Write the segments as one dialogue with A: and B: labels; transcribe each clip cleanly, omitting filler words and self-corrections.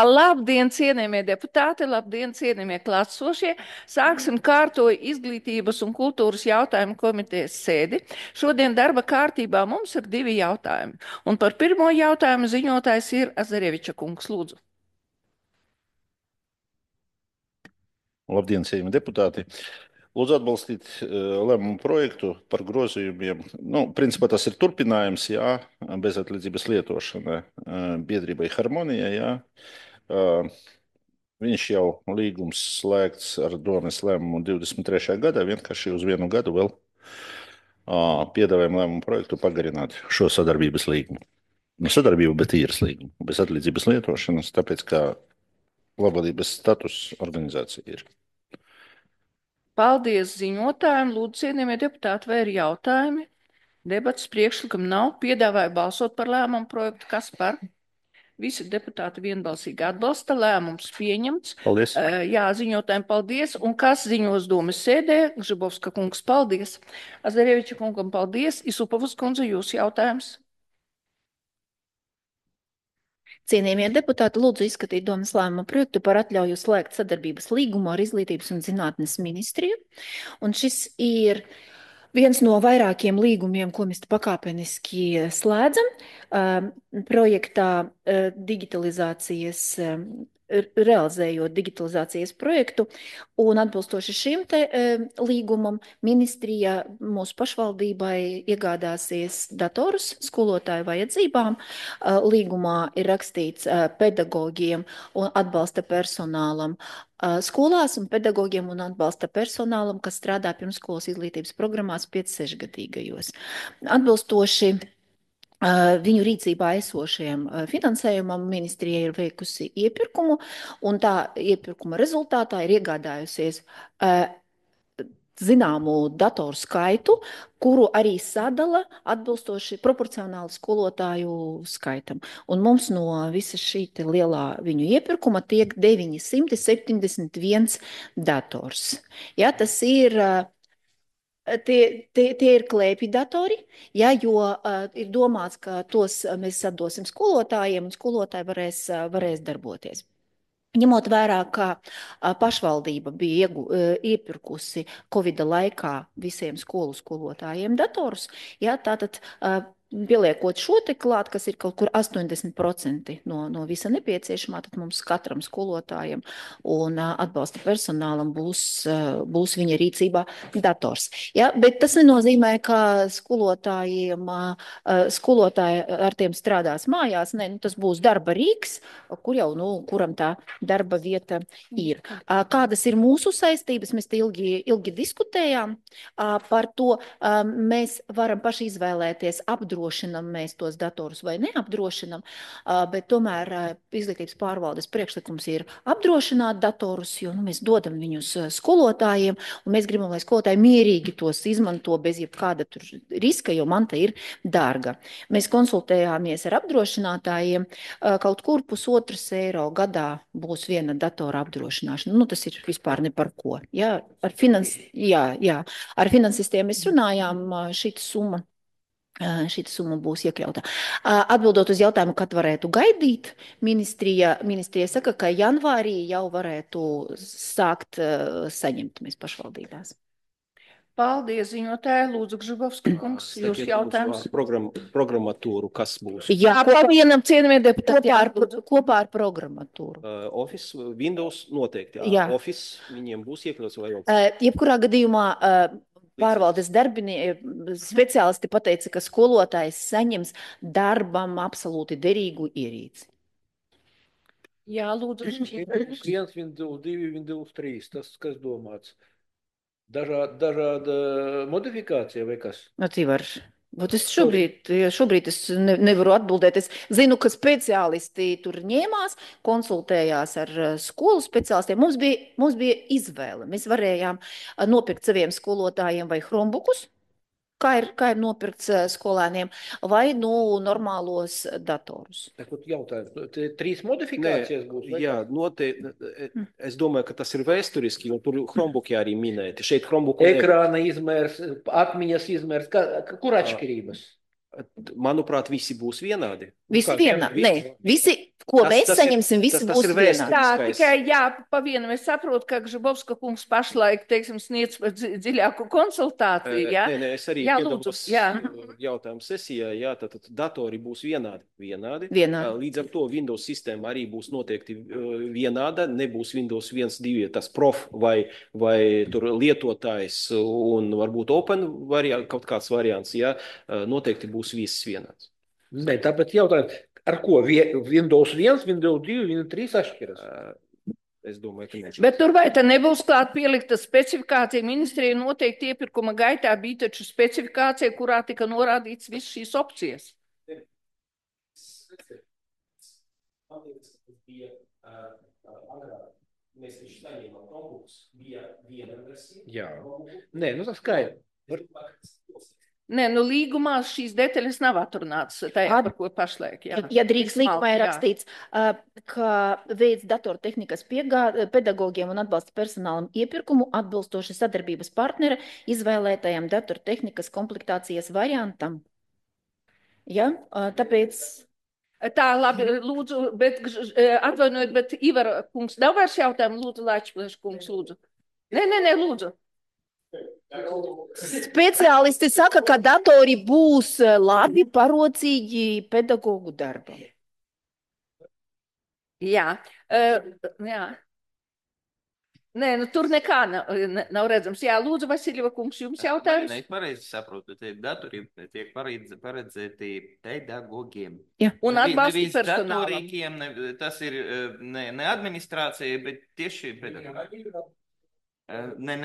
A: Labdien, cienījamie deputāti, labdien, cienījamie klātsošie. Sāksim kārtoju izglītības un kultūras jautājumu komitejas sēdi. Šodien darba kārtībā mums ir divi jautājumi. Un par pirmo jautājumu ziņotājs ir Azareviča kungs. Lūdzu.
B: Labdien, cienījamie deputāti! Lūdzu atbalstīt lēmumu projektu par grozījumiem. Principā tas ir turpinājums, jā, bezatlīdzības lietošana biedrībai Harmonija, jā. Viņš jau līgums slēgts ar domes lēmumu 23. gadā, vienkārši uz vienu gadu vēl piedāvājam lēmumu projektu pagarināt šo sadarbības līgumu. Sadarbību, bet īres līgumu, bez atlīdzības lietošanas, tāpēc, ka labklājības status organizācija ir.
A: Paldies ziņotājiem. Lūdzu, cienījamie deputāti, vai ir jautājumi? Debats priekšlikam nav. Piedāvāju balsot par lēmumu projektu. Kas par? Visi deputāti vienbalsīgi atbalsta. Lēmums pieņemts.
B: Paldies.
A: Jā, ziņotājiem paldies. Un kas ziņos domas sēdē? Gžibovska kungs, paldies. Azareviča kungam, paldies. Isupovas kundze, jūs jautājums?
C: Cienījamie deputāti, lūdzu izskatīt domas lēmuma projektu par atļauju slēgt sadarbības līgumu ar Izglītības un zinātnes ministriju. Un šis ir viens no vairākiem līgumiem, ko mēs pakāpeniski slēdzam. Projektā digitalizācijas realizējot digitalizācijas projektu, un atbilstoši šim te līgumam ministrija mūsu pašvaldībai iegādāsies datorus skolotāju vajadzībām. Līgumā ir rakstīts pedagogiem un atbalsta personālam skolās un pedagogiem un atbalsta personālam, kas strādā pirmsskolas izglītības programmās 5-6 gadīgajos. Atbilstoši viņu rīcībā esošajam finansējumam ministrija ir veikusi iepirkumu, un tā iepirkuma rezultātā ir iegādājusies zināmu datoru skaitu, kuru arī sadala atbilstoši proporcionāli skolotāju skaitam. Un mums no visa šī lielā viņu iepirkuma tiek 971 dators. Ja, tas ir Tie ir klēpju datori, ja, jo ir domāts, ka tos mēs atdosim skolotājiem, un skolotāji varēs darboties. Ņemot vērā, ka pašvaldība bija iepirkusi Covida laikā visiem skolu skolotājiem datorus, ja, tātad pieliekot šo te klāt, kas ir kaut kur 80% no visa nepieciešamā, tad mums katram skolotājam un atbalsta personālam būs viņa rīcībā dators. Ja, bet tas nenozīmē, ka skolotāji ar tiem strādās mājās. Ne, tas būs darba rīks, kuram tā darba vieta ir. Kādas ir mūsu saistības? Mēs te ilgi diskutējām par to. Mēs varam paši izvēlēties, apdrošinam mēs tos datorus vai neapdrošinam, bet tomēr izglītības pārvaldes priekšlikums ir apdrošināt datorus, jo mēs dodam viņus skolotājiem, un mēs gribam, lai skolotāji mierīgi tos izmanto bez jebkāda tur riska, jo manta ir dārga. Mēs konsultējāmies ar apdrošinātājiem, kaut kur €1,2 gadā būs viena datora apdrošināšana. Tas ir vispār ne par ko. Ja? Ar finansistiem mēs runājām, šī summa būs iekļauta. Atbildot uz jautājumu, kad varētu gaidīt, ministrija saka, ka janvārī jau varētu sākt saņemt mēs pašvaldībās.
A: Paldies, ziņotāji. Lūdzu, Gžibovska kungs, jūs jautājums.
D: Programmatūru, kas būs?
A: Jā, vienam cienījamie deputāti.
C: Kopā ar programmatūru.
D: Office, Windows noteikti.
C: Jā.
D: Office viņiem būs iekļauts vai jau?
C: Jebkurā gadījumā pārvaldes speciālisti pateica, ka skolotājs saņems darbam absolūti derīgu ierīci.
A: Jā, lūdzu.
E: 1 Windows, 2 Windows 3, tas kas domāts? Dažāda modifikācija vai kas?
C: Šobrīd es nevaru atbildēt. Es zinu, ka speciālisti tur ņēmās, konsultējās ar skolu speciālistiem. Mums bija izvēle. Mēs varējām nopirkt saviem skolotājiem vai Chromebookus, kā ir nopirkts skolēniem, vai normālos datorus.
E: Jautājums, 3 modifikācijas būs?
D: Jā, noteikti. Es domāju, ka tas ir vēsturiski, jo tur Chromebooki arī minēti. Šeit Chromebooku
E: Ekrāna izmērs, atmiņas izmērs, kur atšķirības?
D: Manuprāt, visi būs vienādi.
C: Visi vienādi. Nē, visi, ko mēs saņemsim, visi būs
D: ir
C: vienādi.
A: Tā,
D: vēsturiskais.
A: tikai pa vienam es saprotu, ka Gžibovska kungs pašlaik, teiksim, sniedz dziļāku konsultāciju, jā?
D: Nē, es arī
A: Jā, lūdzu,
D: piedalos
A: jā.
D: jautājumu sesijā, jā, tad datori būs vienādi.
C: Vienādi.
D: Līdz ar to Windows sistēma arī būs noteikti vienāda, nebūs Windows 1, 2, tas prof vai tur lietotājs un varbūt open kaut kāds variants, jā, noteikti būs viss vienāds.
E: Nē, tāpēc jautājums, ar ko Windows 1, Windows 2, Windows 3 atšķiras?
D: Es domāju, ka nē.
A: Bet tur vai te nebūs klāt pielikta specifikācija? Ministrija noteikti iepirkuma gaitā bija taču specifikācija, kurā tika norādīts viss šīs opcijas.
D: Mēs viņš saņēmām Chromebooks, bija viena versija.
E: Jā. Nē, nu tas skaidrs.
A: Nē, nu līgumā šīs detaļas nav atrunātas, tā ir par ko pašlaik. Jā.
C: Ja drīkst līgumā ir
A: Jā.
C: rakstīts, ka veids datortehnikas pedagogiem un atbalsta personālam iepirkumu atbilstoši sadarbības partnera izvēlētajam datortehnikas komplektācijas variantam. Ja? Tāpēc...
A: Tā, labi, lūdzu, bet atvainojiet, bet Ivara kungs, nav vairs jautājumu, lūdzu, Lāčplēš kungs, lūdzu. Nē, lūdzu.
C: Speciālisti saka, ka datori būs labi parocīgi pedagogu darbam.
A: Jā. Jā. Nē, nu tur nekā nav redzams. Jā, lūdzu, Vasiljeva kungs, jums jautājums?
F: Nē, pareizi saprotu, te datori tiek paredzēti pedagogiem.
C: Jā.
A: Un atbalsta
F: Nevis
A: personālam.
F: datorīkiem, tas ir ne administrācija, bet tieši pedagogi. Nē,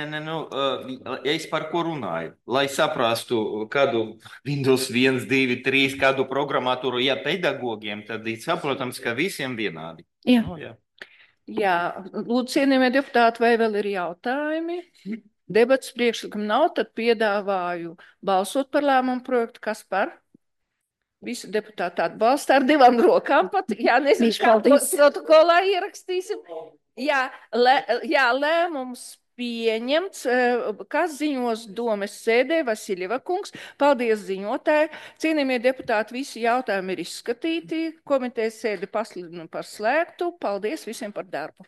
F: es par ko runāju. Lai saprastu, kādu Windows 1, 2, 3, kādu programmatūru, ja pedagogiem, tad ir saprotams, ka visiem vienādi.
C: Jā.
F: Jā.
A: Jā, lūdzu, cienījamie deputāti, vai vēl ir jautājumi? Debats priekšlikumi nav, tad piedāvāju balsot par lēmumu projektu. Kas par? Visi deputāti atbalsta ar 2 rokām pat. Jā, nezinu, kā protokolā ierakstīsim. Jā, lēmums pieņemts, kas ziņos domes sēdē, Vasiljeva kungs. Paldies ziņotāji. Cienījamie deputāti, visi jautājumi ir izskatīti. Komitejas sēdi pasludinu par slēgtu. Paldies visiem par darbu.